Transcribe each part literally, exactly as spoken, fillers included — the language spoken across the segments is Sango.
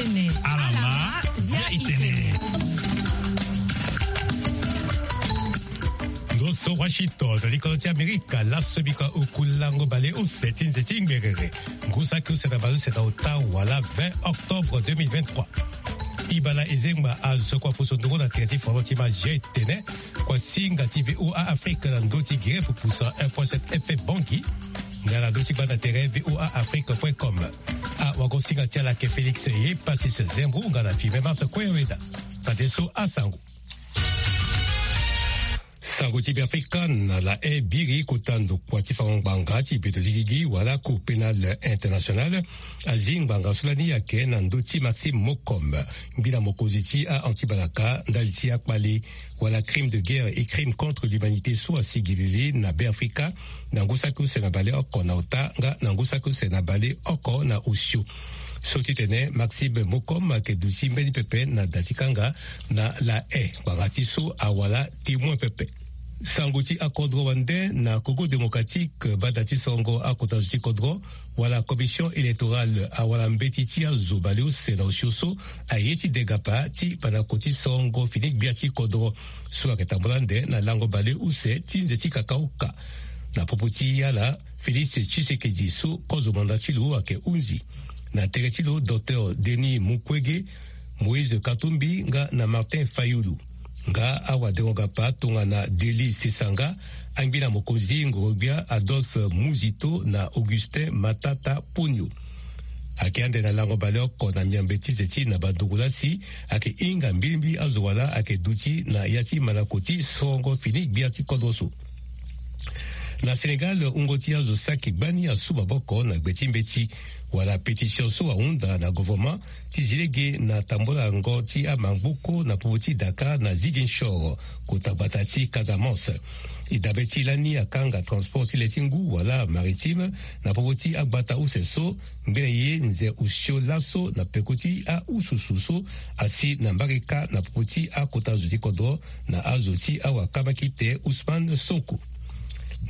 Alama, zia itene. Ndo so Washington, likolo ti Amerika, laso bika oku lango bale use ti nze ti ngberere. Ngu saki use na bale use na ota wala vingt octobre deux mille vingt-trois. Ibala ezengba azo kua puso ndongo na tere ti foro ti ma zia itene. Kua singa ti V O A Afrique na ndö ti gere pupusa un point sept F M Bangui. Nga na ndö ti gbanda tere V O A Afrique point com. Awagosinga ti ala ake Félix Epasis Zembou nga na Firmin Mars Koyaweda. Fadeso asango. Sango ti Beafrika na la e biri kota ndokua ti fango ngbanga ti beto ti gigi wala Cour pénale internationale azi ngbanga so lani ayeke na ndö ti Maxime Mokom, ngbila mokonzi ti a-anti-balaka ndali ti akpale wala crime de guerre et crime contre l'humanité so asi gilili na Beafrika, na ngu saki use na bale oko na ota nga na ngu saki use na bale oko na osio. So ti tene Maxime Mokom ayeke duti mbeni pepe na da ti kanga na la e ngbanga ti so awala témoin pepe. Sango ti akodro wande na Congo démocratique, bada ti songo akota zo ti kodro wala commission électorale awala mbeti ti azo baleuse na osio so aye ti degapa ti panako ti songo fini gbia ti kodro so ayeke tambula ande na lango baleuse ti nze ti kakauka. Na popo ti ala, Félix Tshisekedi so kozo manda ti lo ayeke hunzi. Na tere ti lo, Docteur Denis Mukwege, Moïse Katumbi nga na Martin Fayulu. Nga awadengo-gapa tongana Dely Sesanga, angbila mokonzi ngoro-gbia Adolphe Muzito na Augustin Matata Ponyo. Ayeke ande na lango baleoko na miambe ti nze ti na bandungu lasi, ayeke hinga mbilimbili azo wala ayeke duti na ya ti manako ti songo fini gbia ti kodro so. Na Sénégal, wungo ti azo saki gbani asu maboko na gbe ti mbeti wala pétition so ahunda na governement ti zi lege na tambolango ti amangbuku na popo ti Dakar na Ziguinchor, kota gbata ti Casamance. E dabe ti lani akanga transport ti le ti ngu wala maritime na popo ti agbata use so, ngbene ye nze osio laso na peko ti aususu so asi na mbage kâ na popo ti akota zo ti kodro na azo ti awakambakite Ousmane Sonko.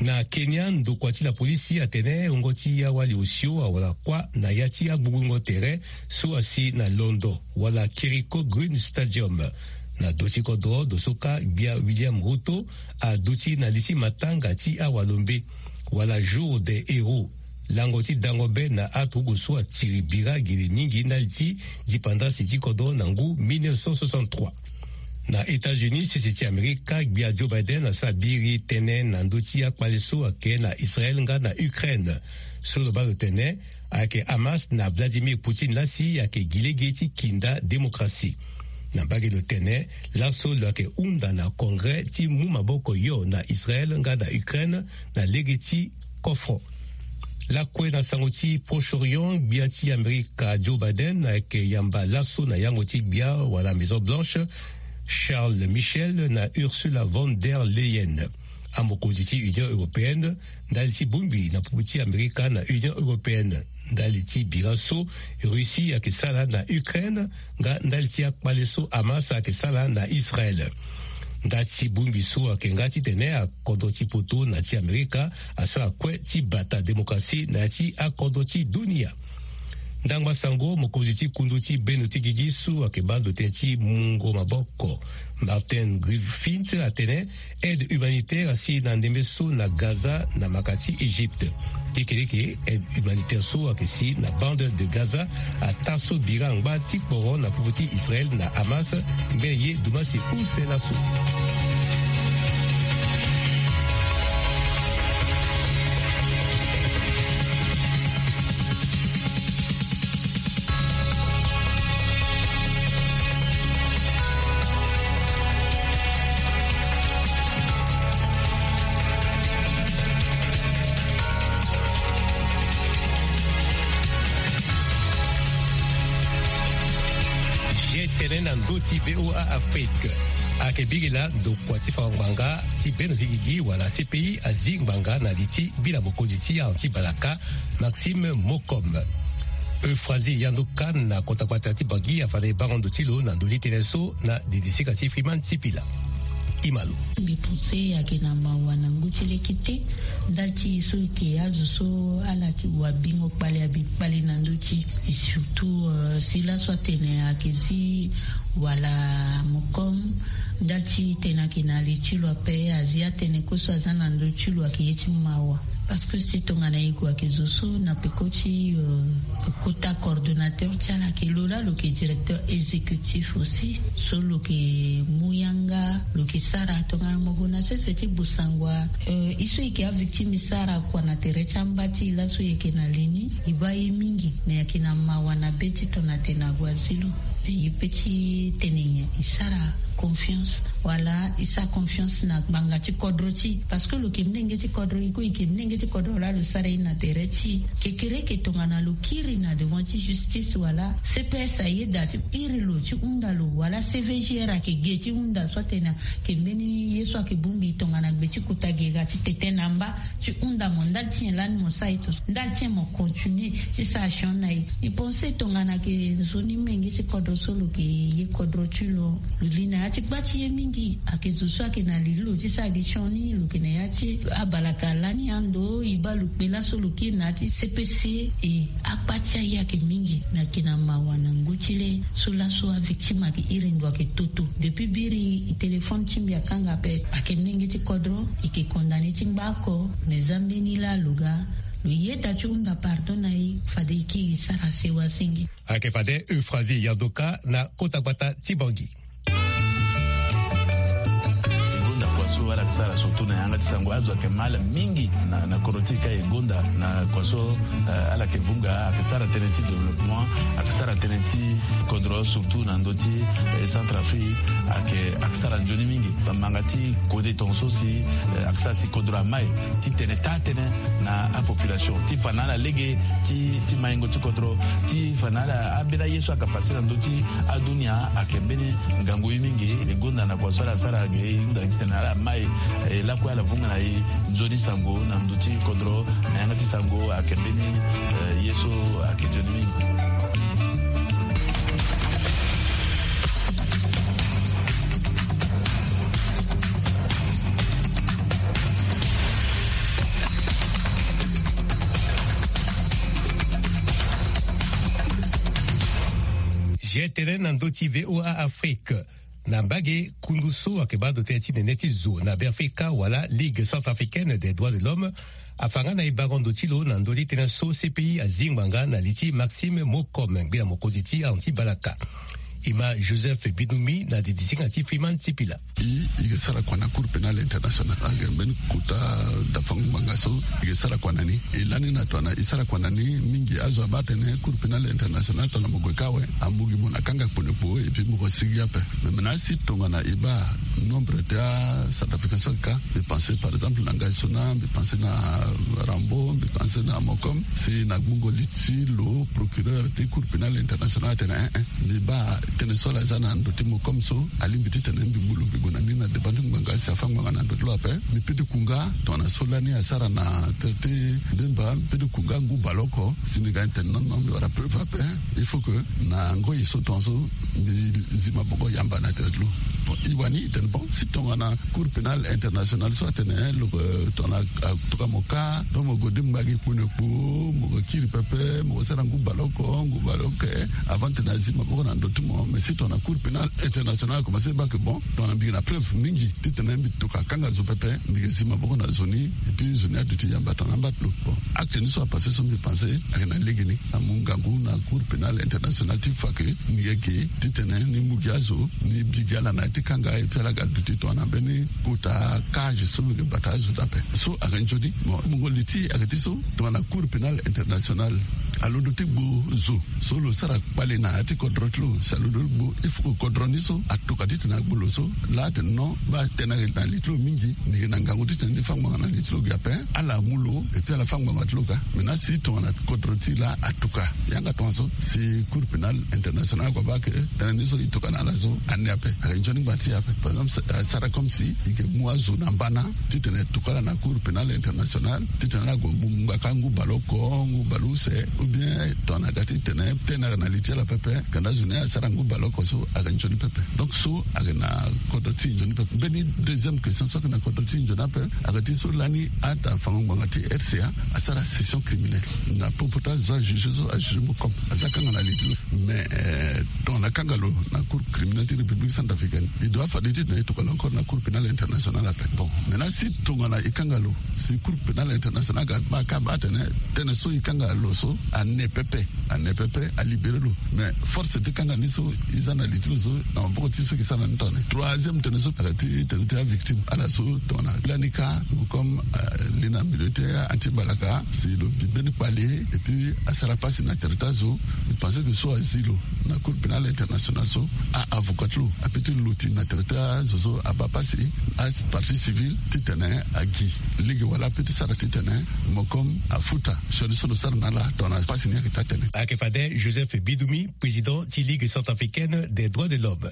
Na Kenya, ndokua ti lapolisi atene wungo ti awali osio awara kuâ na ya ti agbugbungo tere so asi na londo wala Kiriko Green Stadium. Na do ti kodro, do so kâ gbia William Ruto aduti na li ti matanga ti awalombe wala Jour des Héros, lango ti dango be na aturugu so atiri bira giri mingi ndali ti dipandasi ti kodro na ngu mille neuf cent soixante-trois. Na États-Unis, sese ti Amerika, gbia Joe Biden asara biri tënë na ndö ti akpale so ayeke na Israël nga na Ukraine. So lo baa lo tene ayeke Hamas na Vladimir Poutine lasi ayeke gi lege ti kinda démocratie. Na mbage lo tene laso lo yeke hunda na Congrès ti mu maboko yo na Israël nga na Ukraine na lege ti kofro. Lakue na sango ti Proche-Orient, gbia ti Amerika Joe Biden ayeke yamba laso na yango ti gbia wala Maison Blanche, Charles Michel na Ursula von der Leyen, amokonzi ti Union européenne, ndali ti bongbi na popo ti Amerika na Union européenne, ndali ti bira so Russie ayeke sara na Ukraine, nga ndali ti akpale so Hamas ayeke sara na Israël. Nda ti bongbi so ayeke nga titene akodro ti poto na ti Amerika asara kue ti bata démocratie na ya ti akodro ti dunia. Ndangba sango, mokonzi ti kundu ti bendo ti gigi so ayeke baa ndo tënë ti mungo maboko, Martin Griffiths, atene aide humanitaire asi na ndembe so na Gaza na maka ti Égypte. Lekeleke aide humanitaire so ayeke si na bande de Gaza ataa so bira angba ti kporo na popo ti Israël na Hamas, mbeni ye dumasi use laso. Ye tene na ndö ti V O A Afrique. Ayeke biri laa ndokua ti fango ngbanga ti bendo ti gigi wala C P I azi ngbanga na li ti mbila mokonzi ti anti-balaka, Maxime Mokom. Euphrasie Yandokan na kota gbata ti Bangui afanda e bango ndo ti lo na ndö ti tënë so na didisika ti Freeman Sipila. Imalo. Mbi pense ayeke na mawa na ngu ti leki te. Ndali ti so eke azo so ala ti wa bingo kpale abi kpale na ndö ti e, surtout si laso atene ayeke zi wala mokom. Ndali ti tene ayeke na li ti lo ape azi atene koso aza na ndö ti lo ayeke ye ti mawa. Parce que si tongana e gue ayeke zo so na peko ti kota coordonnateur ti ala ayeke lo laa lo yeke directeur exécutif aussi. So lo yeke mu yanga lo yeke sara tongana mo gue na sese ti bosangwa. E so e yeke avictime e sara kua na tere ti amba ti e laso e yeke na li ni e baa ye mingi. Me ayeke na mawa na be ti tongana tene ague azi lo. Me e pe ti tene nyen e sara confiance wala e sara confiance na ngbanga ti kodro ti e? Parce que lo yeke mlenge ti kodro e kue e yeke mlenge ti kodro laa lo sara ye na tere ti e. Kekere eke tongana lo kiri na devant ti justice wala cps ayeda ti iri lo ti hunda lo wala cvgr ayeke ge ti hunda so atene ayeke mbeni ye so ayeke bongbi tongana gbe ti kota ge ga ti tete na mba ti hunda mo ndali ti nyen lani mo sara e to ndali ti nyen mo continue ti sara sion na e. E pense tongana ayeke nzoni menge ti kodro so lo yeke ye kodro ti lo. Lo li na ya ti gba ti ye mingi. Ayeke zo so ayeke na li ti lo ti sara gi sioni lo yeke na ya ti abalaka lani ando e baa lo kpe laso lo kiri na ya ti cpc. E akpa ti aye ayeke mingi. Na yeke na mawa na ngu ti le so laso avictime ayeke iri ndo ayeke toto depuis biri e téléphone ti mbi akanga ape. Ayeke mlenge ti kodro e yeke condamné ti ngba oko. Me za mbeni laa lo ga lo yeda ti hunda pardon na e. Fade e kiri e sara sewa senge. Ayeke fade Euphrasie Yardoka na kota gbata ti Bangui. E gonda kua so ala yeke sara surtout na yanga ti sango azo ayeke mal mingi na, na kodro ti e ka e gonda na kua so, eh, ala yeke vunga ayeke sara tënë ti développement ayeke sara tënë ti kodro surtout na ndö ti, eh, Centrafrique ayeke, ayeke sara nzoni mingi. Bamanga ti kode tongaso si, eh, ayeke sara si kodro amai ti tene taa tënë na apopulation ti fa na ala lege ti, ti maingo ti kodro ti fa na ala ambeni aye so ayeke pase na ndö ti adunia ayeke mbeni ngangu ye mingi. E gonda na kua so ala sara ge e hunda titene ala mai, eh, lakue ala vunga na e nzoni sango na ndö ti kodro na yanga ti sango ayeke mbeni, eh, ye so ayeke nzoni mingi. Zi tënë na ndö ti VOA Afrique. Na mbage kundu so ayeke baa ndo tënë ti nene ti zo na Beafrika wala Ligue Centrafricaine des Droits de l'Homme afa nga na e baro ndo ti lo na ndö ti tënë so C P I azi ngbanga na li ti Maxime Mokom ngbia mokonzi ti anti balaka. E ma Joseph Binoumi na didi ti nga ti Freeman Tipila. E, e yeke sara kua na Cour Pénale Internationale ayeke mbeni kota dafango ngbanga so e yeke sara kua na ni. E lani na tongana e sara kua na ni mingi azo abaa atene Cour Pénale Internationale tongana mo gue ka awe amu gi mo na kanga kpo na kpo et puis mo ko sigi ape. Mais maintenant si tongana e baa nombre ti acentrafricain so ayeke ka, mbi pense par exemple na Ngai Sona, mbi pense na Rambo, mbi pense na Mokom, si na gbungo li ti lo procureur ti Cour Pénale Internationale atene eh eh. Mbi baa tënë so ala za na ndo ti mo comme so alingbi titene mbi mu lo mbi gue na ni na devant ti ngbanga si afa ngbanga na ndo ti lo ape. Mbi pede ku nga tongana so lani asara na tere ti mbemba, mbi pede ku nga ngu baleoko si mbi ga ni tene non non mbi wara preuve ape. Il faut que na ngoi so tongaso mbi zi maboko yamba na tere ti lo. Bon, e wani e tene bon si tongana Cour Pénale Internationale so atene lo, eh, tongana atuka mo ka, donc mo gue di ngbagi kpo na kpo, mo gue kiri pepe, mo gue sara ngu baleoko, ngu baleoko, eh, avant titene azi maboko na ndo ti mo. Mais si tongana Cour Pénale Internationale akomanse baa ke bon, tongana mbi yeke na preuve mingi titene mbi toka kanga zo pepe, mbi yeke zi maboko na zo ni, et puis zo ni aduti yamba tongana amba ti lo. Bon, acte ni so apase so mbi pense ayeke na legeni. Amu ngangu na Cour Pénale Internationale ti fa ke ni yeke titene ni mu gi azo, ni bi gi ala na ya ti kanga, et puis ala ga duti tongana mbeni kota cage so lo yeke bata azo dape. So ayeke nzoni. Bon, mungo li ti ayeke ti so tongana Cour Pénale Internationale alondo ti gbu zo so lo sara kpale na ya ti kodro ti lo, si alondo ti gbu, il faut que kodro ni so atoka titene agbu lo so. Laa atene non, baa tënë ayeke na li ti lo mingi, ni yeke na ngangu titene ni fa ngbanga na li ti lo gi ape. Ala mu lo et puis ala fa ngbanga ti lo ka. Maintenant si tongana kodro ti laa atoka yanga tongaso, si Cour Pénale Internationale ague abaa ke tënë ni so e toka na ala so, ande ape ayeke nzoni ngba ti e ape. Par exemple, eh, sara comme si e yeke mu azo na mbana titene e toka ala na Cour Pénale Internationale titene ala gue mu ngbaka ngu baleoko, ngu baleuse, Bien, tongana ga ti tene tene ayeke na li ti ala pepe. Kanda zo ni asara ngu baleoko so ayeke nzoni pepe. Donc so ayeke na kodro ti nzoni pepe. Mbeni deuxième question so ayeke na kodro ti nzoni ape, ayeke ti so lani ata fango ngbanga ti R C A asara session criminelle na popo ti azo ajuge so ajuge mo comme aza kanga na li ti lo. Mais tongana akanga lo na cour criminelle ti République centrafricaine, il doit fade ti tene e tokua lo encore na cour pénale internationale ape. Bon, maintenant si tongana e kanga lo, si cour pénale internationale aga ma kamba atene tene so e kanga lo so ane pepe, ane pepe, alibéré lo. Mais force ti kanga ni so e za na li ti lo so na maboko ti so e sara ni tongana ni. Troisième tene so ala ti tene ti avictime ala so tongana lani ka, comme li na milieu ti anti mbalaka si lo bi mbeni kpale et puis asara pasi na tere ti azo. E pense que so azi lo na cour pénale internationale so a avocat ti lo ape ti luti na tere ti azo so abaa pasi. Apartie civile ti tene agi lege wala ape ti sara ti tene mo comme afuta sioni so lo sara na ala tongana pasi ni ayeke taa tene. Ayeke fade Joseph Bidumi, président ti Ligue centrafricaine des droits de l'homme.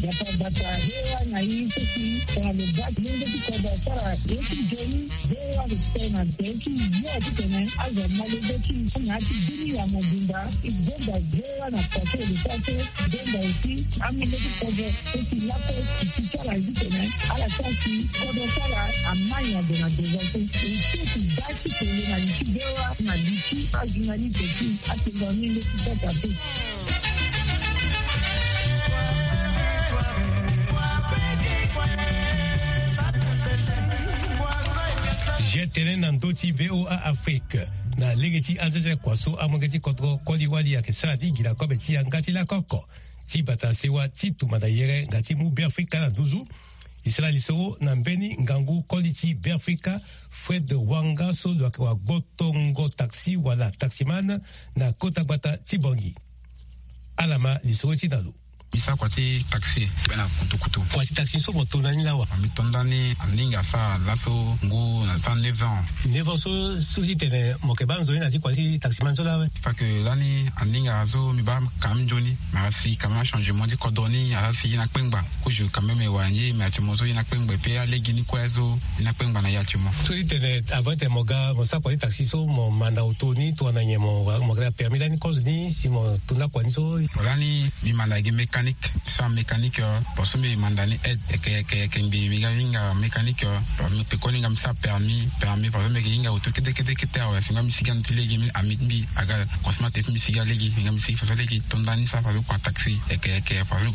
Bata bata, V O A na i so si tongana lo baa ti lenge ti kodro asara ye ti nzoni, V O A respect na tere ti yo ti tene azo amolenge ti na ya ti bini ya mobimba. E gonda V O A na pase e lo sara so e gonda aussi amolenge ti kodro so si lakue e si ti ala ye ti tene ala sara si kodro ti ala amai na ndo na devant so e so si baa ti kele na li ti V O A na li ti ajournaliste ti atengo amolenge ti sasa te. Zia tënë na ndö ti V O A Afrique. Na lege ti azaza kua so amolenge ti kodro koli wali ayeke sara ti gi na kobe ti yanga ti lakoko ti bata sewa ti tumba na yere nga ti mu Beafrika na nduzu. E sara lisoro na mbeni ngangu koli ti Beafrika, Fred Wanga, so lo yeke wagbotongo taxi wala taximan na kota gbata ti Bangui. Ala ma lisoro ti na lo. Mbi sara kua ti taxi be na kutukutu. Kua ti taxi so mo to ndani lawa? Mbi to ndani aninga asara laso ngu na sara neuf ans. Neuf ans so, so ti tene mo yeke baa nzoni na ti kua ti taximan so lawa? Fa ke lani aninga so mbi baa quand même nzoni, mais asi quand même achangement ti kodro ni, asi ye na kpengba. Kozo quand même e wara nzoni, mais actuellement so ye na kpengba, pe alege ni kue so ye na kpengba na ya ti mo. So ti tene avant ti tene mo ga mo sara kua ti taxi so mo manda auto ni tongana nyen? Mo yeke na permis lani kozo ni si mo to nda kua ni so? Lani mbi manda gi mécanique. Ti sara mécanique, euh, parce que mbi manda ni aide yeke yeke yeke mbi mbi ga hinga mécanique, euh, parce que mbi pekoni nga mbi sara permis, permis parce que mbi yeke hinga auto kete kete kete awe. Si nga mbi sigi ande ti lege, mbi ami ti mbi aga consommateur ti mbi sigi alege, nga mbi sigi faso lege to ndani sara faso kua taxi yeke yeke faso.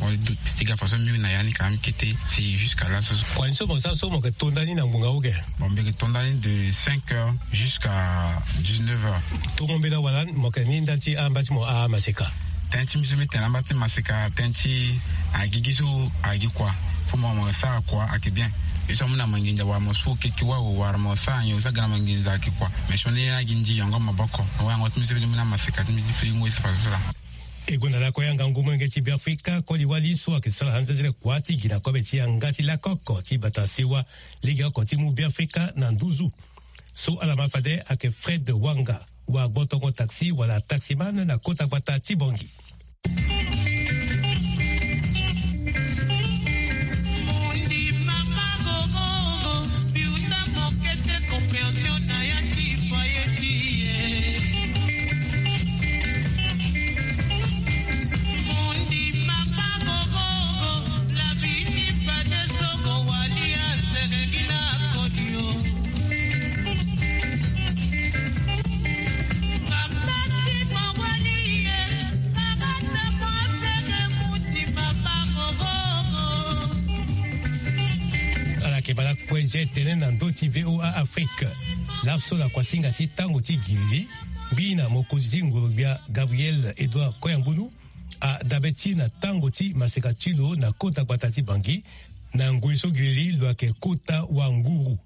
Ti ga faso mbi na ya ni ka mbi kete si jusqu'à laso. Kua ni so mo sara so mo yeke to ndani na ngbonga uge? Bon, mbi yeke to ndani de cinq heures jusqu'à dix-neuf heures. Tongo mbela wala mo yeke ni nda ti amba ti mo amaseka? Tënë ti mbi so mbi tene amba ti maseka, tënë ti agigi so agi kua. Fo mo mo sara kua ayeke bien. Ye so amu na manginza wala mo su keke wawo wala mo sara nyen, so aga na manginza ayeke kua. Mais sioni ni agi nzi yongo maboko. Mo wayango ti mbi so mbi ni mu na maseka ti mbi ti firi ngoi so faso so laa. E gonda lakue angangu molenge ti Beafrika koli wali so ayeke sara anzezele kua ti gi na kobe ti yanga ti lakoko ti bata sewa legeoko ti mu Beafrika na nduzu. So ala ma fade ayeke Fred Wanga, wagbotongo taxi wala taximan na kota gbata ti Bangui. Ala yeke baa lakue zia tënë na ndö ti V O A Afrique. Laso na kuasinga ti tango ti gilili, ngbii na mokonzi ti ngoro-gbia Gabriel Edouard Koyambunu, adabe ti na tango ti maseka ti lo na kota gbata ti Bangui, na ngoi so gilili lo yeke kota wanguru.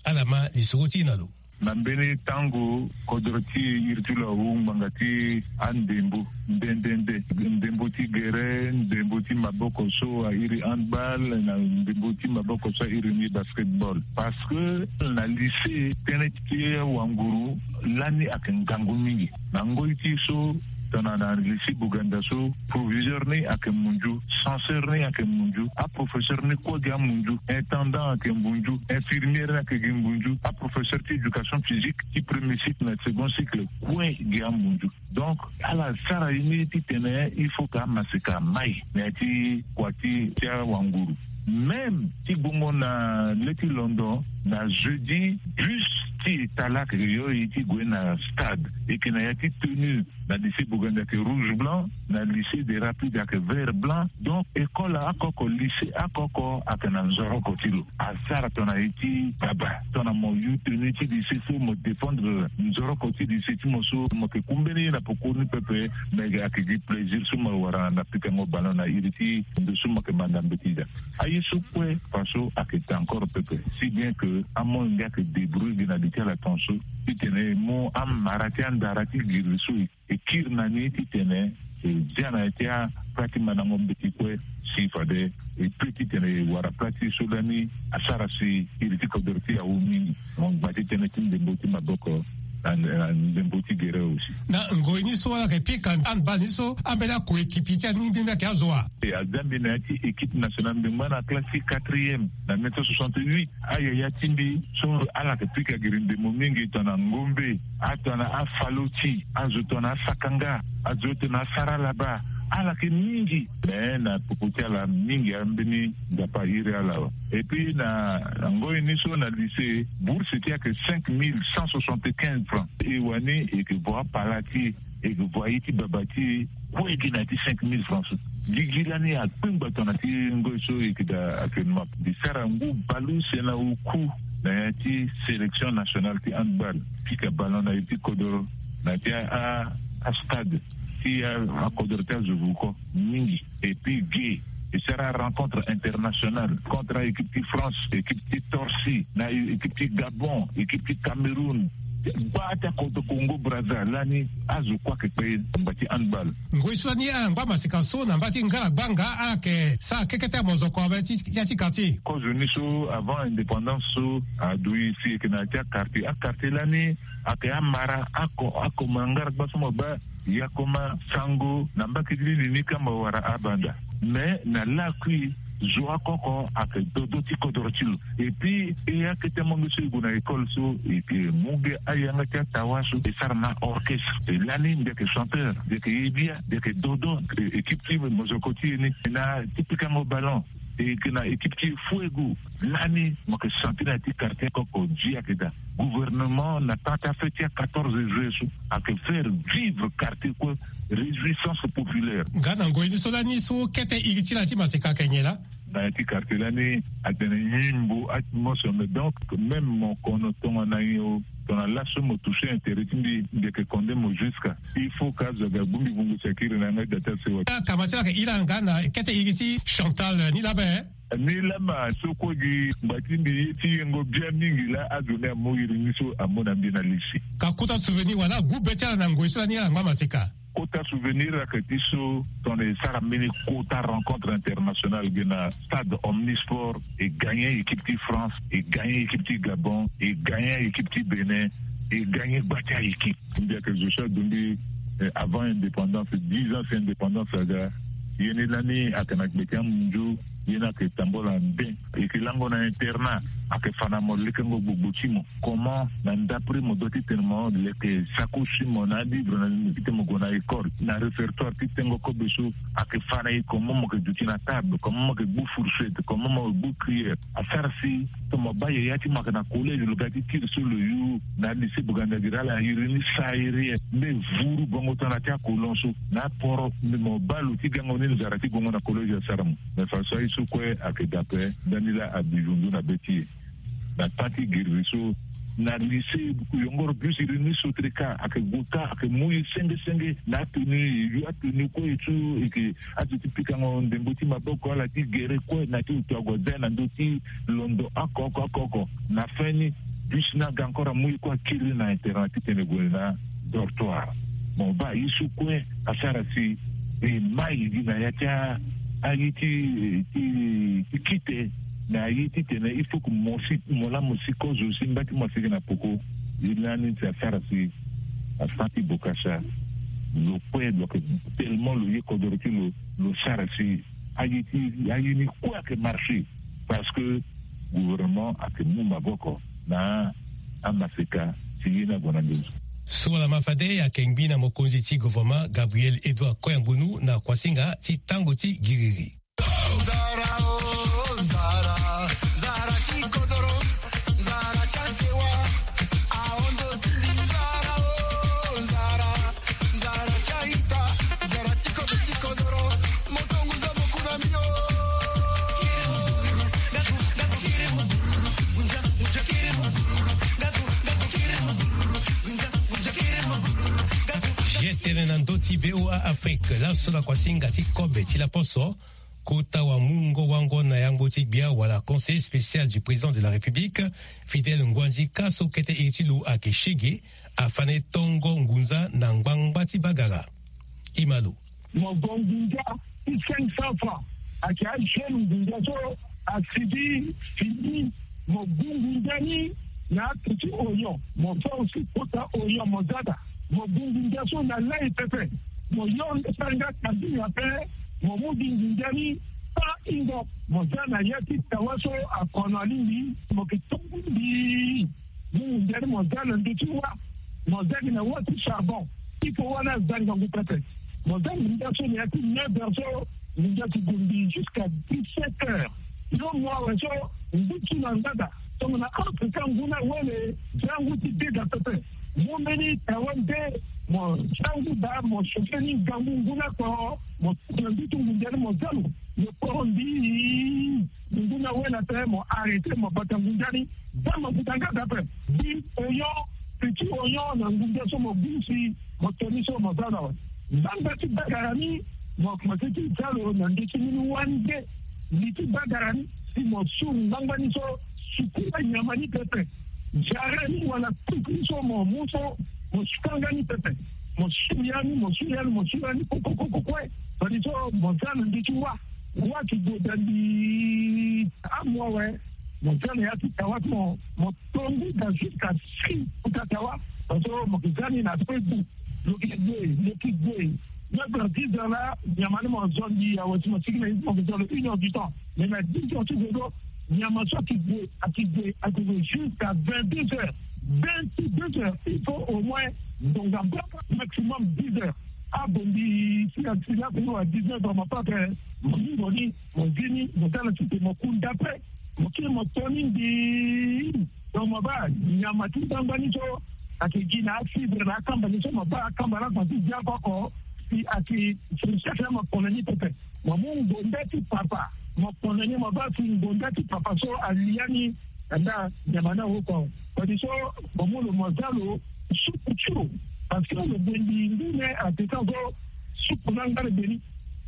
Ala ma lisoro ti e na lo. Na mbeni tango kodro ti iri ti lo awu ngbanga ti andembo nde nde nde, ndembo ti gere, ndembo ti maboko so airi handball, na ndembo ti maboko so airi ni basketball. Parce que na lycée tënë ti wanguru lani ayeke ngangu mingi. Na ngoi ti so tongana na lycée Boganda so, proviseur ni ayeke munzu, censeur ni ayeke munzu, aprofesseur ni kue gi amunzu, intendant ayeke munzu, infirmière ni ayeke gi munzu, aprofesseur ti éducation physique ti premier cycle na second cycle kue gi amunzu. Donc ala sara ye ni titene il faut ka amaseka amai na ya ti kua ti ti awanguru. Même ti gbongo na le ti londo, na jeudi, bus ti eta laa ayeke yo ye ti gue na stade, e yeke na ya ti tenue na lycée Boganda ayeke rouge blanc, na lycée des Rapides ayeke vert blanc. Donc école oko oko, lycée oko oko ayeke na nzoroko ti lo. Asara tongana ye ti baba, tongana mo yu tenue ti lycée so mo défendre nzoroko ti lycée ti mo so, mo yeke ku mbeni ye na pokoni pepe. Mais ayeke gi plaisir so mo wara na pikango ballon na iri ti ndo so mo yeke manda mbeti daa. Aye so kue, faso ayeke daa encore pepe, si bien que amolenge ayeke débrouiller gi na li ti ala tongaso titene e mu amara ti andara ti giri so e kiri na ni titene e zia na ya ti apla ti mandango mbeti kue. Si fade e pe titene e wara pla ti e so lani asara si iri ti kodoro ti e awu mingi. Mo ngba ti tënë ti ndembo ti maboko na, na ndembo ti gere aussi. Na ngoi ni so ala yeke pika handball ni so, ambeni ako-ekipi ti ala ni mbi ni ayeke azo wa? E, azia mbi na ya ti équipe nationale, mbi ngba na classe ti quatrième na mille neuf cent soixante-huit. Ayaya ti mbi so ala yeke pika giri ndembo mingi, tongana Ngombe, atongana Afaloti, azo tongana Asakanga, azo tongana Asaralaba, ala yeke mingi. Mais na popo ti ala mingi ambeni Nzapa ahiri ala awe. Et puis na, na ngoi ni so na lycée, bourse ti e ayeke cinq mille cent soixante-quinze francs. E wani e yeke vo apala ti e, e yeke vo aye ti baba ti e kue gi na ya ti cinq mille francs so. Gigi lani akpengba tongana ti ngoi so e yeke daa actuellement. Mbi sara ngu bale use na oku na ya ti sélection nationale ti handball, pika ballon na iri ti kodoro na ya ti a, a, astade ti a, akodoro ti azo vuko mingi. Et puis ge e sara rencontre internationale contre équipe ti France, équipe ti Torsi, na équipe ti Gabon, équipe ti Cameroun. Gbaa ti akodro Congo Brazza lani azo kue ayeke kpe ngba ti handball. Ngoi so lani ala ngba maseka so na mba ti ngala gbanga, ala yeke sara keke ti amozoko awe ti ya ti quartier. Kozo ni so avant indépendance so adu e si e yeke na ya ti aquartier. Aquartier lani ayeke amara ako, ako ma ngala gba so mo baa Yakoma, Sango, na mbage ti lili ni kamba wara abanda. Mais na lakui zo oko oko ayeke dodo ti kodoro ti lo. Et puis e akete monge so e gue na école so, e yeke mu ge ayanga ti atawa so e sara na orchestre. E lani mbi yeke chanteur, mbi yeke yebia, mbi yeke dodo, e, équipe ti mozoko ti e ni na ti pikango ballon. E yeke na équipe ti e Fuego. Lani mo yeke sentir na ya ti quartier oko oko di ayeke daa. Gouvernement na temps ti afête ti a quatorze juillet so ayeke faire vivre quartier kue, réjouissance populaire. Nga na ngoi ni so lani so kete iri ti la ti maseka ayeke nyen laa? Na ya ti quartier lani atene nyimbo atmosphère, mais donc même mo kono tongana nyen o, tongana laso mo toucher intérêt ti mbi, mbi yeke condamné mo jusqu'à. Il faut ka azo aga gbu mbi vungu si akiri na yanga ti da ti asewa. Akama ti la ayeke iri nga na kete iri ti Chantal ni laa be? Ni lama so kue gi ngba ti mbi ye ti yengo bia mingi laa azo ni amu iri ni so amu na mbi na lisi. Ka kota souvenir wala agu be ti ala na ngoi so lani ala ngba maseka? Kota souvenir ayeke ti so tongana e sara mbeni kota rencontre internationale gi na stade Omnisport, e gagné équipe ti France, e gagné équipe ti Gabon, e gagné équipe ti Bénin, e gagné gba ti a-équipe. Mbi ayeke zo so adu mbi, eh, avant indépendance, dix ans si indépendance aga. Ye ni lani ayeke na gbe ti amunzu. Ye ni ayeke tambula ande. E yeke lango na internat, ayeke fa na mo lekengo gbogbo ti mo. Comment na ndapre mo doit ti tene mo leke sacoche ti mo na alivre na limo ti tene mo gue na école, na répertoire ti tengo kobe so ayeke fa na e, comment mo yeke duti na table, comment mo yeke gbu fourchette, comment mo yeke gbu cuillère. Asara si tongana mo baa yaya ti mo ayeke na collège, lo ga ti tiri so lo yu na lycée Boganda gi, ala iri ni sara iri ye. Mbe vuru bongo tongana ti akolon so na aporo, mbi mo baa lo ti gango ni nzara ti gongo na collège asara mo. Mais faso aye so kue ayeke daa ape. Ndani laa abi vundu na be ti e. Na temps ti guerre so, na lycée yongoro bus iri ni sotreka ayeke gue ka, ayeke mu e senge senge na atenue, e yu atenue kue e tu, e yeke azo ti pikango ndembo ti maboko, ala ti gere kue na ti oto ague aza e na ndö ti londo oko oko oko oko. Na fin ni, bus ni aga encore amu e kue akiri na internat titene e gue na dortoir. Mo baa ye so kue asara si e mai gi na ya ti a, aye ti, ti, ti kite, na aye titene il faut que mo si, mo laa mo si kozo si mba ti mo asigi na poko. Ye lani si asara si asara ti bokasa. Lo kue lo yeke tellement lo ye kodoro ti lo, lo sara si aye ti aye ni kue ayeke marché. Parce que gouvernement ayeke mu maboko na amaseka ti ye ni ague na nduzu. So wala ma fade ayeke ngbi na mokonzi ti gouvernement Gabriel Edouard Koyangonu na kuasinga ti tango ti giriri. Ye tene na ndö ti VOA Afrique, laso na kuasinga ti kobe ti laposo, kota wa mungo wango na yangbo ti gbia wala conseiller spécial du président de la République, Fidèle Nguandji Ka so kete iri ti lo ayeke Shege, afa na e tongo ngunza na ngbangba ti bagara. Imalo. Mo gue ngunza ti cinq cents francs. Ayeke ajeune ngunza so asigi fini. Mo gue ngunza ni na ato ti oyon. Mo fa aussi kota oyon mo za daa. Mo gue ngunza so na lai pepe. Mo yo nde sara nga kambinga ape. Mo mu gi ngunza ni pa ingo. Mo za na ya ti tawa so akono alingbi. Mo yeke tongo mbi. Mu ngunza ni mo za na ndö ti wâ. Mo za gi na wâ ti charbon. Il faut wâ ni aza ngangu pepe. Mo za ngunza so na ya ti neuf heures so ngunza ti gue mbi jusqu'à dix-sept heures. Lo mo awe so ngu ti na ngbada. Tongana Afrika ngu ni awele za ngu ti dega pepe. Mu mbeni tawa nde mo za ngu daa mo chauffer ni ngangu ngu ni akporo. Mo tongana mbi ti ngunza ni mo za lo. Lo kporo mbi. Ngu ni awele ape mo arrêter mo bata ngunza ni. Za mo bata nga daa ape. Bi oyon, petit oyon na ngunza so mo gue si mo to ni so mo za na awe. Ngbangba ti bagara ni mo komanse ti za lo na ndö ti mbeni wâ ni nde. Li ti bagara ni si mo su ngbangba ni so suku la nyama ni pepe. Jara ni wala kuku ni so mo mu so mo suka nga ni pepe. Mo su ya ni, mo su ya ni, mo su ya ni kokokokokue. Fade so mo za na ndö ti wâ. Wâ ti gue da mbi. Amu awe. Mo za na ya ti tawa ti mo, mo to ngu daa jusqu'à six kota tawa. Parce que mo yeke za ni na aspect gbu. Lo yeke gue, lo yeke gue. Neuf heures, dix heures laa nyama ni mo zo mbi awe si mo sigi na ye ti mo yeke zo lo une heure du temps. Mais na dix heures ti zo so nyama so ayeke gue, ayeke gue, ayeke gue jusqu'à vingt-deux heures. Vingt-deux heures, il faut au moins ngonga mbata maximum dix heures. Abongbi si asi laso ni wa dix-neuf heures mo pake mo hingo ni, mo zi ni, mo za na site mo kunda ape. Mo kiri mo to ni mbi. Donc mo baa nyama ti ngbangba ni so ayeke gi na afibre na akamba ni so mo baa akamba ni afa ti zia oko oko. Si ayeke fourchette laa mo kpona ni pepe. Mo mu ngonda ti papa mo kpona ni mo baa si ngonda ti papa so ali ya ni. Andaa nyama ni aoko. Fade so mo mu lo mo za lo supu ti lo. Parce que lo gue mbi ngu ni apekan so supu ni angba na gbe ni.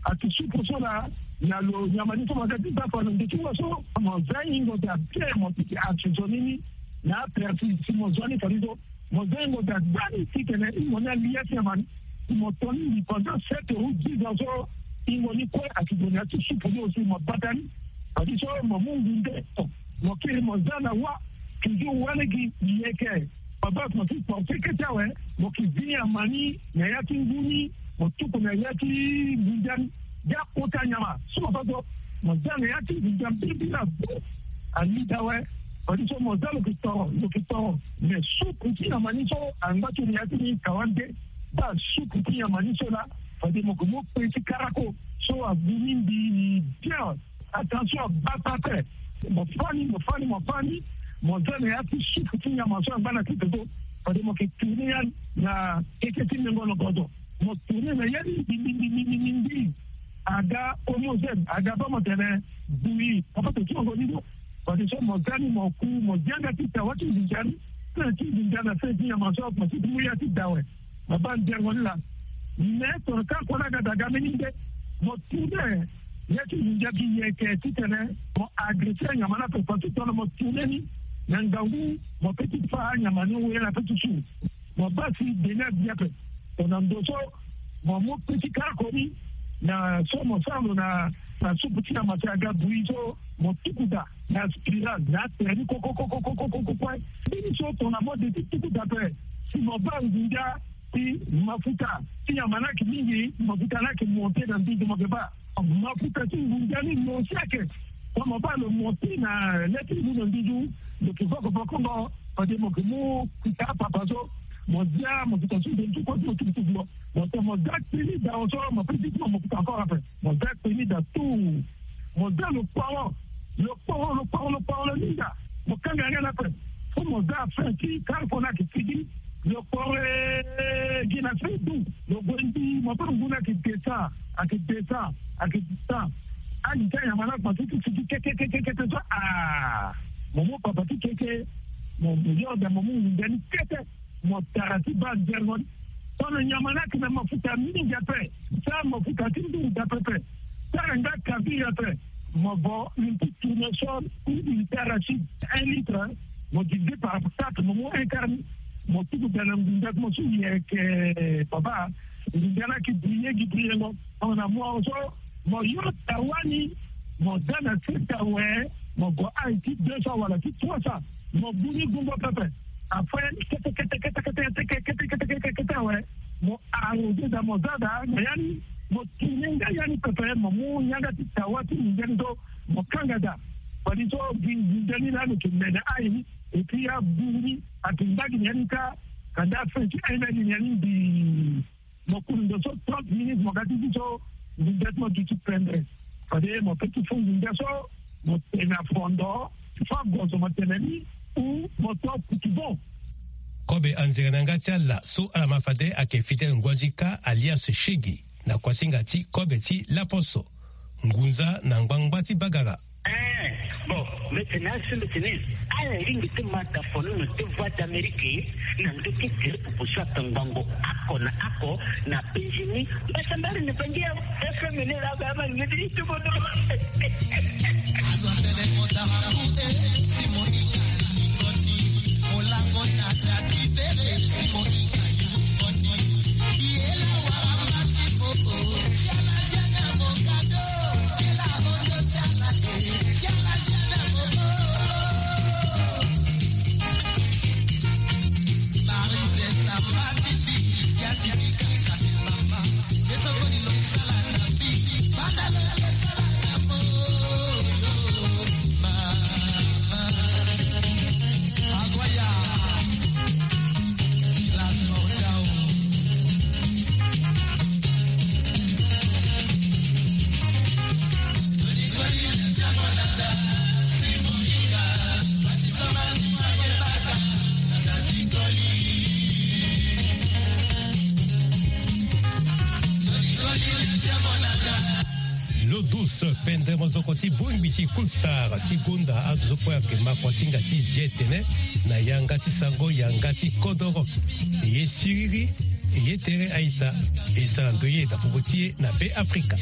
Ati supu so laa na lo nyama ni so mo za ti za fa na ndö ti wa so mo za hingo daa bien mo piki assaisonner ni na apersi si mo zo ni fade so mo za hingo daa gbani titene hingo ni ali ya ti nyama ni. Si mo to ni mbi pendant sept ou dix ans so hingo ni kue ati gue na ya ti supu ni aussi mo bata ni. Fade so mo mu ngu nde mo kiri mo za na wa. Toujours wa lege yeke. Baba mo ti porte kete awe. Mo ki zi nyama ni na ya ti ngu ni. Mo tuku na ya ti ngunza ni. Bia kota nyama so mo fa so mo za na ya ti ngunza mbirimbiri abu. Alida awe. Fade so mo za lo ki toro, lo ki toro. Mais supu ti nyama ni so angba ti lo na ya ti ni kawa nde. Baa supu ti nyama ni so laa fade mo ke mu pe ti karako so agu ni mbi bien. Attention, bata ape. Mo fâ ni, mo fâ ni, mo fâ ni. Mo za na ya ti supu ti nyama so angba na tete so. Fade mo ke tourner ya na keke ti mengo na gozo. Mo tourner na ya ni mbi mbi mbi mbi mbi mbi. Aga homogène, aga baa mo tene bouillie. Papa to ti ongo ni do. Fade so mo za ni mo ku mo zi anga ti tawa ti nzinza ni. Ti nzinza na se ti nyama so mo ti mu ya ti dawe. Mo baa nzengo ni laa. Mais tongana ka kue ni aga daa ga mbeni nde mo tourner. Ya ti nginza gi yeke titene mo agresser nyama ni ape, partout tongana mo tourner ni na ngangu mo peut ti fâ anyama ni wele na peut ti su. Mo baa si de ni abi ape. Tongana ndo so mo mu petit karako ni na so mo sara lo na na supu ti nyama si aga bouillie so mo tuku daa na spirale na atere ni koko koko koko koko kue. Mbeni so tongana mo de ti tuku daa ape si mo baa nginza Ti mafuta ti nyama ni ayeke mingi, mafuta ni ayeke monte na nduzu mo yeke baa. Mafuta ti ngunza ni lo si ayeke. Tongana mo baa lo monte na le ti ngu na nduzu, lo yeke voko vokongo. Fade mo yeke mu kuta apapa so, mo zia mafuta so nde nduku ti mo tukutuku lo. Mo tongana mo zia kpeni dao so, mo peut ti ti mo mafuta encore ape. Mo zia kpeni da tout. Mo zia lo kporo, lo kporo, lo kporo, lo kporo, lo linda. Mo kanga yanga na ape. Fo mo zia fin ti carrefour ni ayeke sigi. Lo kporo e gi na fin du. Lo gue ndi, mo pe ngu ni ayeke descend, ayeke descend, ayeke descend. Ayi ti anyama ni akpa ti ti sigi kete, kete, kete so, ah. Mo mu papa ti keke, mo, mo yo da, mo mu ngunza ni kete. Mo tara ti baa nzergo ni. Tongana nyama ni ayeke na mafuta mingi ape, sara mafuta ti nduru da pepe. Sara nga kabiri ape. Mo vo une petite tournesol ou une petite arachide, un litre, mo divisé par quatre, mo mu un quart ni. Mo tuku da na ngunza ti mo so yeke, papa. Ngunza ni ayeke briller gi briyengo. Tongana mo so, mo yo tawa ni, mo za na sese awe, mo gue aye ti deux cents wala ti trois cents, mo gbu ni gungo pepe. Après, kete, kete, kete awe, mo arrosé da, mo za da na ya ni, mo tourné nga ya ni pepe, mo mu yanga ti tawa ti nginza ni so, mo kanga da. Fade so gi nginza ni laa lo yeke mene aye ni, et puis agbu ni, ayeke ngba gi na ya ni kâ, kanda fin ti aye ni agi na ya ni mbi. Mo kuru ndo so trente minutes, mo ga ti zi so nginza ti mo duti pendre. Fade mo pe ti fo nginza so, mo tene na fondo, fo agozo mo tene ni, ou mo to kutu bon. Kobe anzere na yanga ti ala so ala ma fade ayeke Fidèle Nguandjika alias Shege, na kuasinga ti kobe ti laposo. Ngunza na ngbangba ti bagara. Eh, bon, mbi tene asi mbi tene, ala lingbi ti ma da foni na ti Voix d'Amérique na ndö ti gere popo so ayeke ngbongo oko na oko na Benjini. Mbasambari na Bangi ya F M ni la ba ma ngedi ti bodo. Azo tene mo tara kute, si mo inga ni koni, mo lango na dati bere, si mo inga ni koni. L'eau douce, pendre mozoko ti bongbi ti Cool Star ti gonda azo so kue ayeke ma kuasinga ti zi etene na yanga ti sango yanga ti kodoro. E ye siriri, e ye tere a-ita, e sara ndoye na popo ti e na Be Afrika.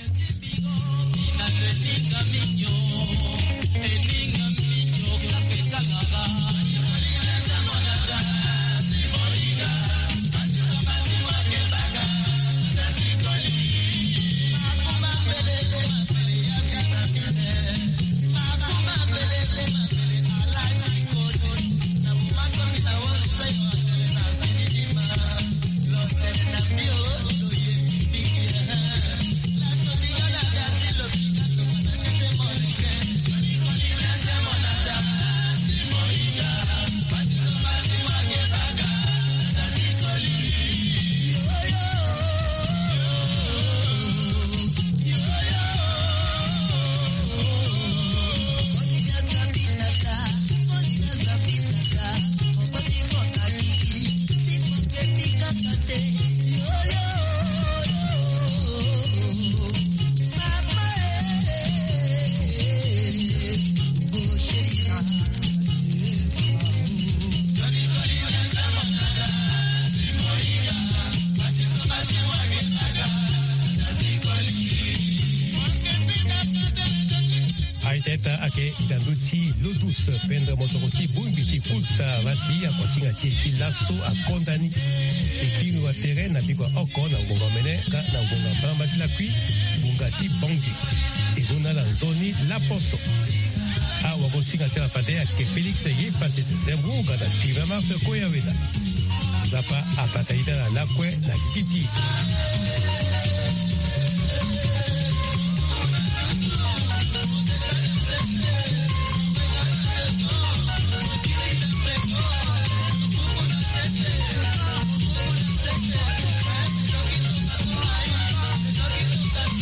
A-ita, a-ita ayeke ndandu ti l'eau douce, pendre mozoko ti bongbi ti Cool Star, laa si akuasinga ti e ti laso akonda ni. E kiri wa tere na bikua oko na ngonga mene nga na ngonga mbamba ti lakui, ngonga ti Bangui. E mu na ala nzoni laposo. Awagosinga ti ala fade ayeke Félix Yepassis Zembou, ga na Tivamar Koya Weda. Nzapa abata ita na lakue na gigi ti e.